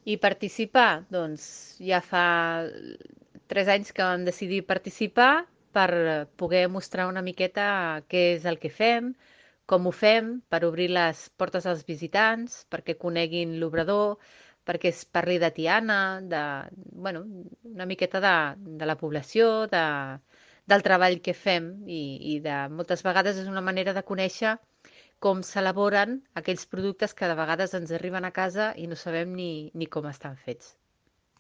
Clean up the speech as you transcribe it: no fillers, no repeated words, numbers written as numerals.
I participar? Doncs ja fa 3 anys que vam decidir participar per poder mostrar una miqueta què és el que fem, com ho fem, per obrir les portes als visitants, perquè coneguin l'obrador, perquè es parli de Tiana, bueno, una miqueta de la població, del treball que fem moltes vegades és una manera de conèixer com s'elaboren aquells productes que de vegades ens arriben a casa i no sabem ni com estan fets.